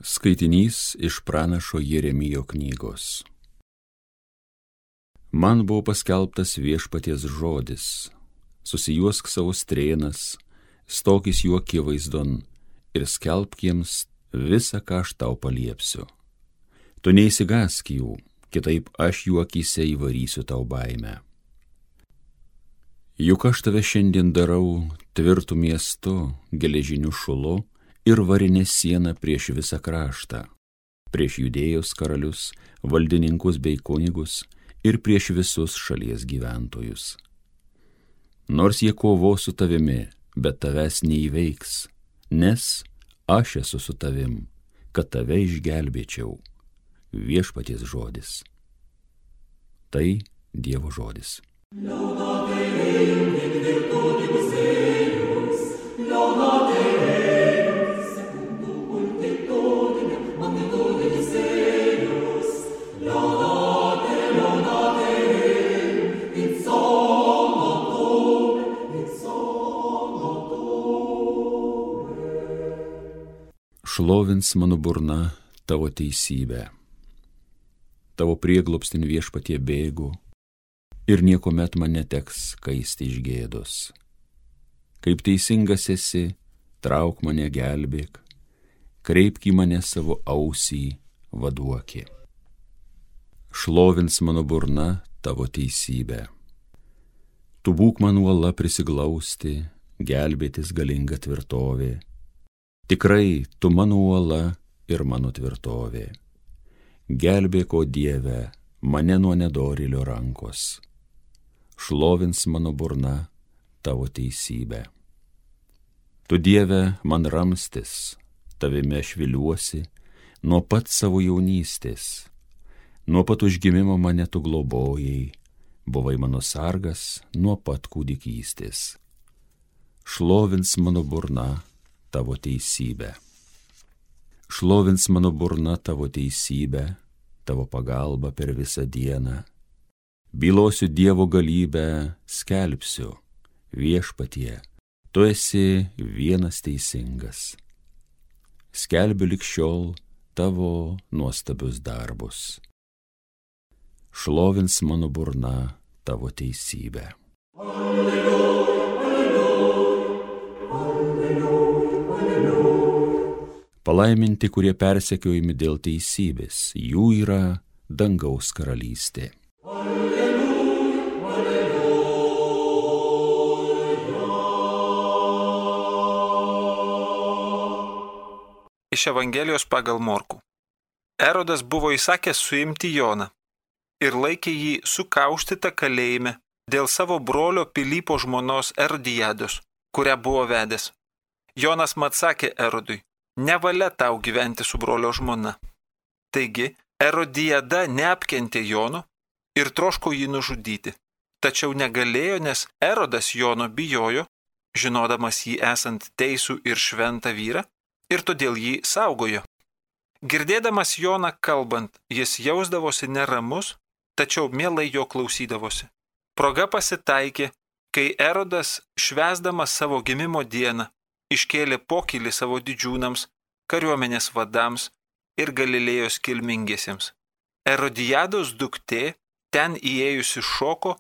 Skaitinys iš pranašo Jeremijo knygos. Man buvo paskelbtas viešpaties žodis: susijuosk savo strėnas, stokis jų akivaizdon ir skelbk jiems visą, ką aš tau paliepsiu. Tu neįsigąsk jų, kitaip aš jų akyse įvarysiu tau baimę. Juk aš tave šiandien darau tvirtų miestu, geležiniu šulu ir varinė siena prieš visą kraštą, prieš Judėjos karalius, valdininkus bei kunigus ir prieš visus šalies gyventojus. Nors jie kovos su tavimi, bet tavęs neįveiks, nes aš esu su tavim, kad tave išgelbėčiau. Viešpaties žodis. Tai Dievo žodis. Šlovins mano burna tavo teisybę. Tavo prieglobstin viešpatie bėgu ir niekuomet man neteks kaisti iš gėdos. Kaip teisingas esi, trauk mane, gelbėk, kreipk į mane savo ausį, vaduoki. Šlovins mano burna tavo teisybę. Tu būk man uola prisiglausti, gelbėtis galinga tvirtovė. Tikrai tu mano uola ir mano tvirtovė. Gelbėk, o Dieve, mane nuo nedorėlio rankos. Šlovins mano burna tavo teisybę. Tu, Dieve, man ramstis, tavime aš viliuosi nuo pat savo jaunystės. Nuo pat užgimimo mane tu globojai, buvai mano sargas nuo pat kūdikystės. Šlovins mano burna tavo teisybę. Šlovins mano burna tavo teisybę, tavo pagalbą per visą dieną. Bylosiu Dievo galybę, skelbsiu: Viešpatie, tu esi vienas teisingas. Skelbiu lig šiol tavo nuostabius darbus. Šlovins mano burna tavo teisybę. Palaiminti, kurie persekiojami dėl teisybės, jų yra dangaus karalystė. Iš Evangelijos pagal Morkų. Erodas buvo įsakęs suimti Joną ir laikė jį sukaustytą kalėjime dėl savo brolio Pilypo žmonos Erodijados, kurią buvo vedęs. Jonas mat sakė Erodui: nevalia tau gyventi su brolio žmona. Taigi Erodijada neapkentė Jono ir troško jį nužudyti. Tačiau negalėjo, nes Erodas Jono bijojo, žinodamas jį esant teisų ir šventą vyrą, ir todėl jį saugojo. Girdėdamas Joną kalbant, jis jausdavosi neramus, tačiau mielai jo klausydavosi. Proga pasitaikė, kai Erodas, švęsdamas savo gimimo dieną, iškėlė pokylį savo didžiūnams, kariuomenės vadams ir Galilėjos kilmingiesiems. Erodijados duktė ten įėjusi šoko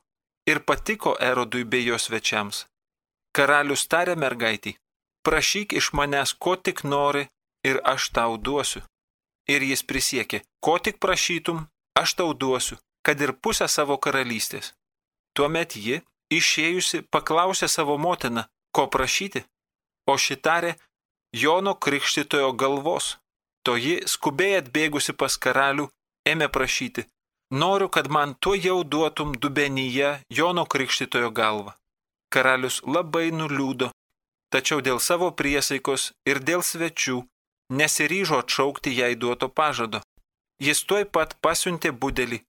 ir patiko Erodui bei jo svečiams. Karalius tarė mergaitei: prašyk iš manęs, ko tik nori, ir aš tau duosiu. Ir jis prisiekė: ko tik prašytum, aš tau duosiu, kad ir pusę savo karalystės. Tuomet ji, išėjusi, paklausė savo motiną, ko prašyti. O ši tarė: Jono Krikštytojo galvos. Toji, skubiai atbėgusi pas karalių, ėmė prašyti: noriu, kad man tuojau duotum dubenyje Jono Krikštytojo galvą. Karalius labai nuliūdo, tačiau dėl savo priesaikos ir dėl svečių nesiryžo atšaukti jai duoto pažado. Jis tuoj pat pasiuntė budelį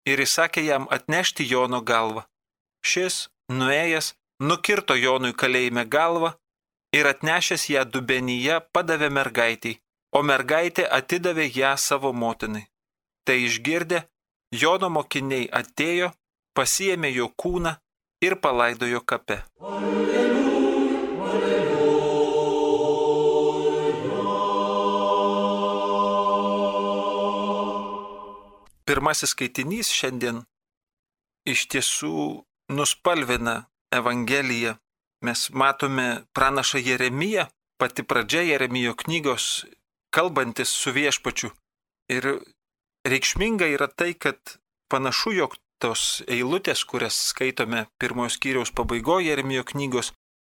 ir įsakė jam atnešti Jono galvą. Šis, nuėjęs, nukirto Jonui kalėjime galvą ir atnešęs ją dubenyje padavė mergaitei, o mergaitė atidavė ją savo motinai. Tai išgirdę, Jono mokiniai atėjo, pasiėmė jo kūną ir palaidojo kape. Alleluja, alleluja. pirmasis skaitinys šiandien iš tiesų nuspalvina Evangeliją. Mes matome pranašą Jeremiją, pati pradžia Jeremijo knygos, kalbantis su viešpačiu. Ir reikšminga yra tai, kad panašu, jog tos eilutės, kurias skaitome pirmojo skyriaus pabaigoje Jeremijo knygos,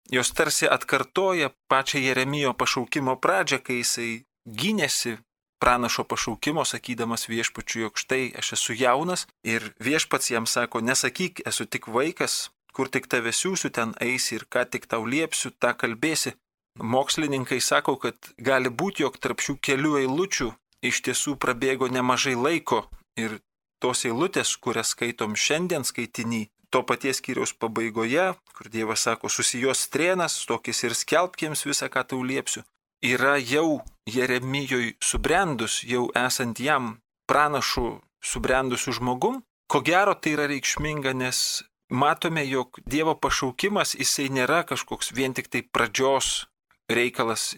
jos tarsi atkartoja pačią Jeremijo pašaukimo pradžią, kai jisai gynėsi pranašo pašaukimo, sakydamas viešpačiu, jog štai aš esu jaunas, ir viešpats jam sako, nesakyk, esu tik vaikas, kur tik tave siūsiu, ten eisi ir ką tik tau liepsiu, tą kalbėsi. Mokslininkai sako, kad gali būti, jog tarp šių kelių eilučių iš tiesų prabėgo nemažai laiko ir tos eilutės, kurias skaitom šiandien skaitiny, to paties skyriaus pabaigoje, kur Dievas sako, susijos strėnas, stokis ir skelbk jiems visą, ką tau liepsiu, yra jau Jeremijoj subrendus, jau esant jam pranašu subrendusiu žmogum. Ko gero tai yra reikšminga, nes matome, jog Dievo pašaukimas, jisai nėra kažkoks vien tik tai pradžios reikalas.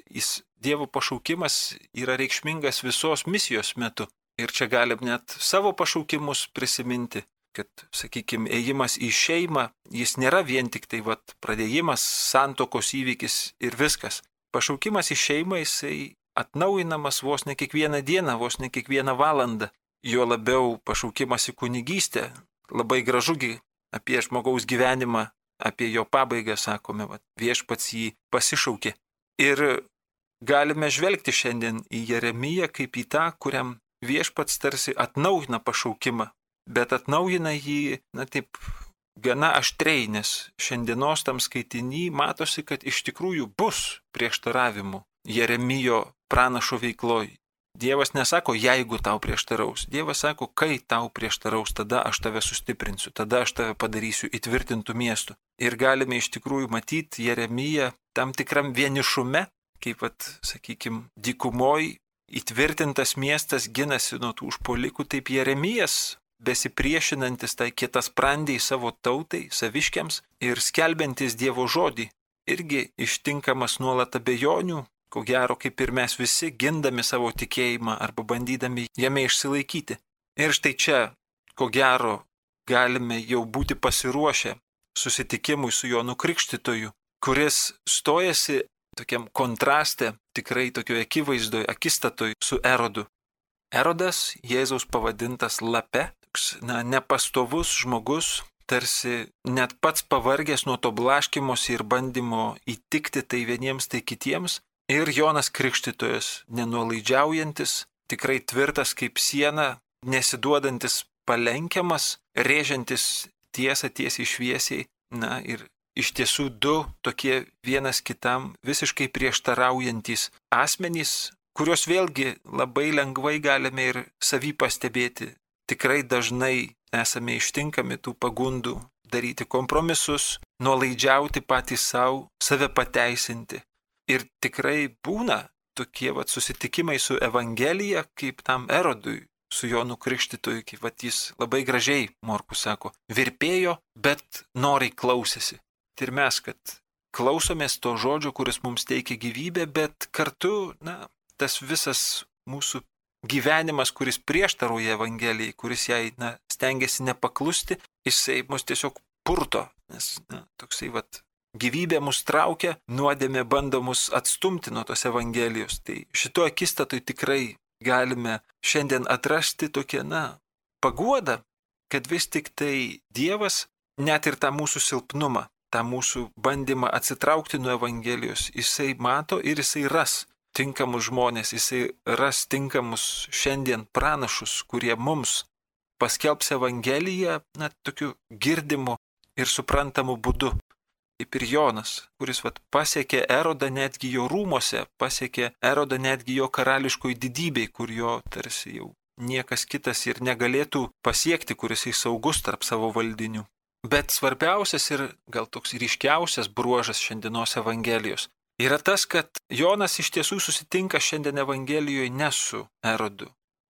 Dievo pašaukimas yra reikšmingas visos misijos metu. Ir čia galim net savo pašaukimus prisiminti, kad, sakykime, ėjimas į šeimą, jis nėra vien tik tai pradėjimas, santokos įvykis ir viskas. Pašaukimas į šeimą, jisai atnaujinamas vos ne kiekvieną dieną, vos ne kiekvieną valandą. Jo labiau pašaukimas į kunigystę, labai gražugi apie žmogaus gyvenimą, apie jo pabaigą, sakome, viešpats jį pasišaukė. Ir galime žvelgti šiandien į Jeremiją kaip į tą, kuriam viešpats tarsi atnaujina pašaukimą, bet atnaujina jį, taip, gana aštriai, nes šiandienos tam skaitiny matosi, kad iš tikrųjų bus prieštaravimų Jeremijo pranašo veikloj. Dievas nesako, jeigu tau prieštaraus. Dievas sako, kai tau prieštaraus, tada aš tave sustiprinsiu, tada aš tave padarysiu įtvirtintų miestų. Ir galime iš tikrųjų matyti Jeremiją tam tikram vienišume, kaip, sakykime, dykumoj įtvirtintas miestas ginasi nuo tų užpuolikų, taip Jeremijas, besipriešinantis tai kietasprandžiai savo tautai, saviškiams ir skelbiantis Dievo žodį, irgi ištinkamas nuolat abejonių, ko gero kaip ir mes visi, gindami savo tikėjimą arba bandydami jame išsilaikyti. Ir štai čia, ko gero, galime jau būti pasiruošę susitikimui su Jonu Krikštytoju, kuris stojasi tokiam kontraste, tikrai tokioje akivaizdoje, akistatoj su Erodu. Erodas, Jėzaus pavadintas lape, toks, nepastovus žmogus, tarsi net pats pavargęs nuo to blaškymosi ir bandymo įtikti tai vieniems, tai kitiems. Ir Jonas Krikštytojas, nenuolaidžiaujantis, tikrai tvirtas kaip siena, nesiduodantis palenkiamas, rėžiantis tiesą tiesiai šviesiai. Ir iš tiesų du tokie vienas kitam visiškai prieštaraujantis asmenys, kuriuos vėlgi labai lengvai galime ir savy pastebėti. Tikrai dažnai esame ištinkami tų pagundų daryti kompromisus, nuolaidžiauti patys savo, save pateisinti. Ir tikrai būna tokie susitikimai su Evangelija, kaip tam Erodui, su Jonu Krikštytoju, kaip jis labai gražiai, Morkus sako, virpėjo, bet noriai klausėsi. Ir mes, kad klausomės to žodžio, kuris mums teikia gyvybę, bet kartu, tas visas mūsų gyvenimas, kuris prieštarauja Evangelijai, kuris jai, stengiasi nepaklusti, jisai mus tiesiog purto, nes, toksai, gyvybė mus traukia, nuodėmė bando mus atstumti nuo tos Evangelijos. Tai šito akistatui tikrai galime šiandien atrasti tokią, paguodą, kad vis tik tai Dievas net ir tą mūsų silpnumą, tą mūsų bandymą atsitraukti nuo Evangelijos, jisai mato ir jisai ras tinkamus žmonės, jisai ras tinkamus šiandien pranašus, kurie mums paskelbs Evangeliją, tokiu girdimu ir suprantamu būdu. Kaip ir Jonas, kuris pasiekė Erodą netgi jo rūmose, pasiekė Erodą netgi jo karališkoj didybei, kur jo tarsi jau niekas kitas ir negalėtų pasiekti, kuris jis saugus tarp savo valdinių. Bet svarbiausias ir gal toks ryškiausias bruožas šiandienos Evangelijos yra tas, kad Jonas iš tiesų susitinka šiandien Evangelijoje ne su Erodu.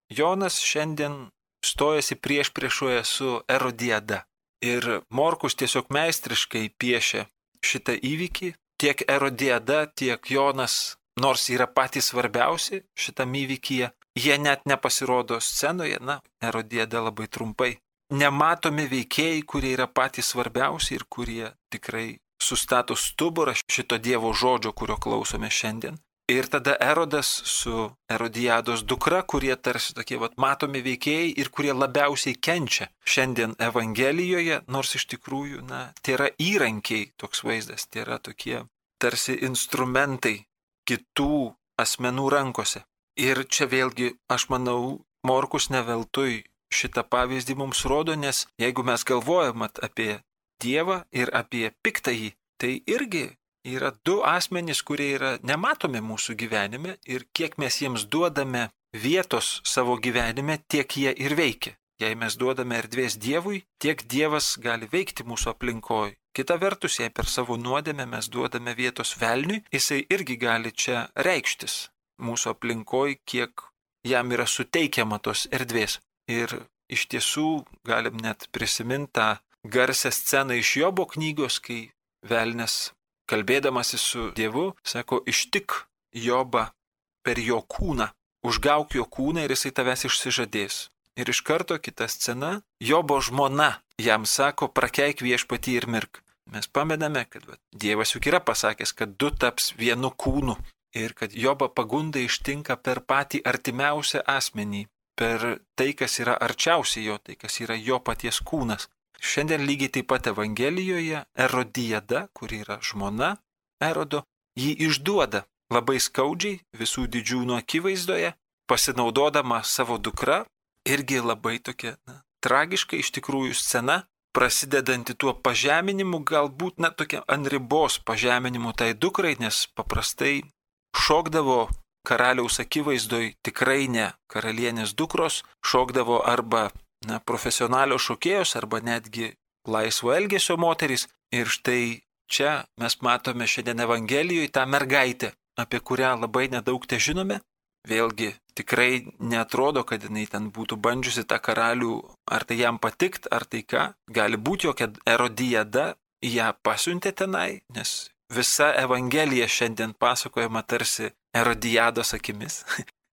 Jonas šiandien stojasi priešpriešoje su Erodiada. Ir Morkus tiesiog meistriškai piešia šitą įvykį. Tiek Erodiada, tiek Jonas nors yra patys svarbiausi šitam įvykyje, jie net nepasirodo scenoje, Erodiada labai trumpai. Nematomi veikėjai, kurie yra patys svarbiausi ir kurie tikrai sustato stuburą šito Dievo žodžio, kurio klausome šiandien. Ir tada Erodas su Erodiados dukra, kurie tarsi tokie matomi veikėjai ir kurie labiausiai kenčia šiandien Evangelijoje, nors iš tikrųjų, tai yra įrankiai toks vaizdas, tai yra tokie tarsi instrumentai kitų asmenų rankose. Ir čia vėlgi, aš manau, Morkus ne veltui šitą pavyzdį mums rodo, nes jeigu mes galvojam apie Dievą ir apie piktąjį, tai irgi yra du asmenys, kurie yra nematomi mūsų gyvenime ir kiek mes jiems duodame vietos savo gyvenime, tiek jie ir veikia. Jei mes duodame erdvės Dievui, tiek Dievas gali veikti mūsų aplinkoje. Kita vertus, jei per savo nuodėmę mes duodame vietos velniui, jisai irgi gali čia reikštis mūsų aplinkoje, kiek jam yra suteikiama tos erdvės. Ir iš tiesų galim net prisiminti tą garsią sceną iš Jobo knygos, kai velnias, kalbėdamasis su Dievu, sako, ištik Jobą per jo kūną, užgauk jo kūną ir jisai tavęs išsižadės. Ir iš karto kita scena, Jobo žmona jam sako, prakeik viešpatį ir mirk. Mes pamename, kad Dievas juk yra pasakęs, kad du taps vienu kūnu ir kad Jobą pagunda ištinka per patį artimiausią asmenį, per tai, kas yra arčiausiai jo, tai, kas yra jo paties kūnas. Šiandien lygiai taip pat Evangelijoje Erodiada, kuri yra žmona Erodo, jį išduoda labai skaudžiai visų didžiūnų akivaizdoje, pasinaudodama savo dukra, irgi labai tokia tragiška iš tikrųjų scena, prasidedanti tuo pažeminimu, galbūt tokia ant ribos pažeminimu tai dukrai, nes paprastai šokdavo karaliaus akivaizdoj tikrai ne karalienės dukros, šokdavo arba profesionalios šokėjos arba netgi laisvo elgesio moterys. Ir štai čia mes matome šiandien Evangelijoje tą mergaitę, apie kurią labai nedaug te žinome. Vėlgi tikrai netrodo, kad jinai ten būtų bandžiusi tą karalių, ar tai jam patikt, ar tai ką. Gali būti, jog Erodiada ją pasiuntė tenai, nes visa Evangelija šiandien pasakojama tarsi Erodiados akimis.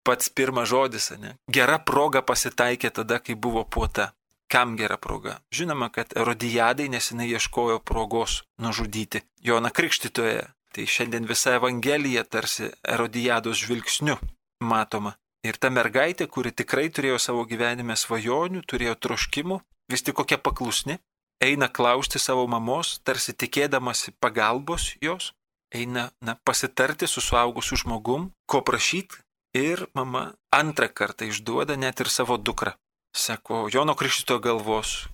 Pats pirmas žodis, Gera proga pasitaikė tada, kai buvo puota. Kam gera proga? Žinoma, kad Erodijadai, nes jinai ieškojo progos nužudyti Joną Krikštytoją. Tai šiandien visa Evangelija tarsi Erodijados žvilgsniu matoma. Ir ta mergaitė, kuri tikrai turėjo savo gyvenime svajonių, turėjo troškimų, vis tik kokia paklusni, eina klausti savo mamos, tarsi tikėdamasi pagalbos jos, eina pasitarti su suaugusiu žmogum, ko prašyti. Ir mama antrą kartą išduoda net ir savo dukrą. Sako, Jono Krikštytojo galvos,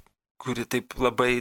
kuri taip labai,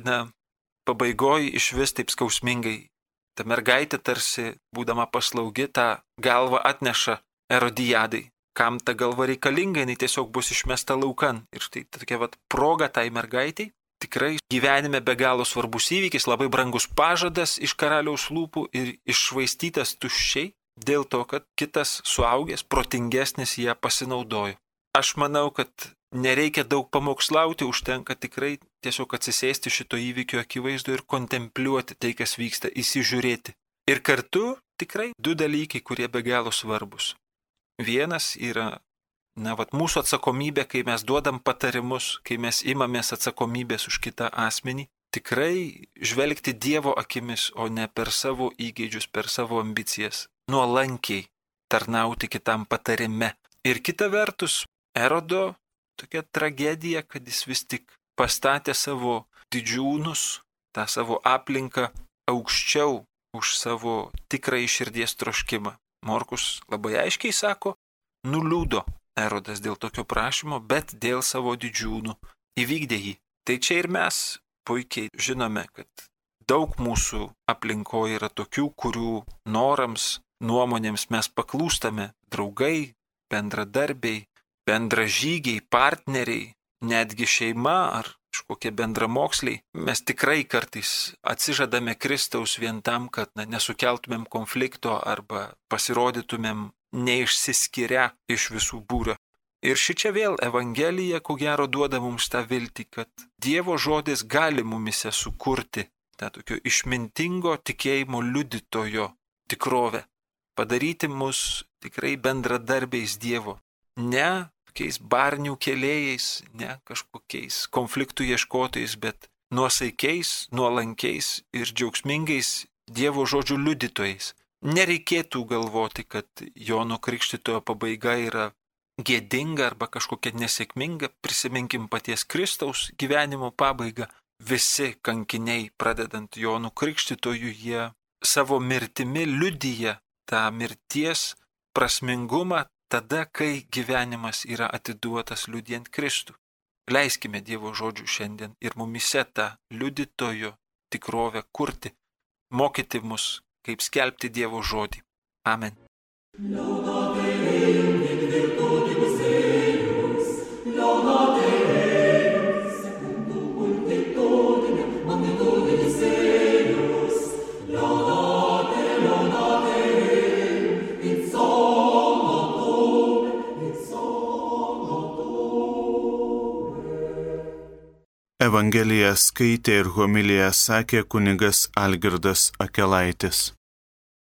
pabaigoj iš vis taip skausmingai. Ta mergaitė tarsi, būdama paslaugi, tą galvą atneša Erodijadai. Kam ta galva reikalinga, jinai tiesiog bus išmesta laukan. Ir štai tokia proga tai mergaitai. Tikrai gyvenime be galo svarbus įvykis, labai brangus pažadas iš karaliaus lūpų ir iššvaistytas tuščiai. Dėl to, kad kitas suaugęs, protingesnis ją pasinaudojo. Aš manau, kad nereikia daug pamokslauti, užtenka tikrai tiesiog atsisėsti šito įvykio akivaizdu ir kontempliuoti tai, kas vyksta, įsižiūrėti. Ir kartu tikrai du dalykai, kurie be galo svarbus. Vienas yra, mūsų atsakomybė, kai mes duodam patarimus, kai mes imamės atsakomybės už kitą asmenį, tikrai žvelgti Dievo akimis, o ne per savo įgeidžius, per savo ambicijas. Nuolankiai tarnauti kitam patarime. Ir kita vertus, Erodo tokia tragedija, kad jis vis tik pastatė savo didžiūnus, tą savo aplinką aukščiau už savo tikrąjį širdies troškimą. Morkus labai aiškiai sako, nuliūdo Erodas dėl tokio prašymo, bet dėl savo didžiūnų įvykdė jį. Tai čia ir mes puikiai žinome, kad daug mūsų aplinkoje yra tokių, kurių norams, nuomonėms mes paklūstame, draugai, bendradarbiai, bendražygiai, partneriai, netgi šeima ar kažkokie bendramoksliai. Mes tikrai kartais atsižadame Kristaus vien tam, kad nesukeltumėm konflikto arba pasirodytumėm neišsiskiria iš visų būrio. Ir šičia vėl Evangelija, ko gero, duoda mums tą viltį, kad Dievo žodis gali mumise sukurti tą tokio išmintingo tikėjimo liudytojo tikrovę. padaryti mus tikrai bendradarbiais Dievo, ne tokiais barnių kėlėjais, ne kažkokiais konfliktų ieškotojais, bet nuosaikiais, nuolankiais ir džiaugsmingais Dievo žodžių liudytojais. Nereikėtų galvoti, kad Jono Krikštytojo pabaiga yra gėdinga arba kažkokia nesėkminga. Prisiminkim paties Kristaus gyvenimo pabaigą. Visi kankiniai, pradedant Jonu Krikštytoju, jie savo mirtimi liudija tą mirties prasmingumą tada, kai gyvenimas yra atiduotas liudijant Kristų. Leiskime Dievo žodžių šiandien ir mumise tą liudytojo tikrovę kurti, mokyti mus, kaip skelbti Dievo žodį. Amen. Evangeliją skaitė ir homiliją sakė kunigas Algirdas Akelaitis.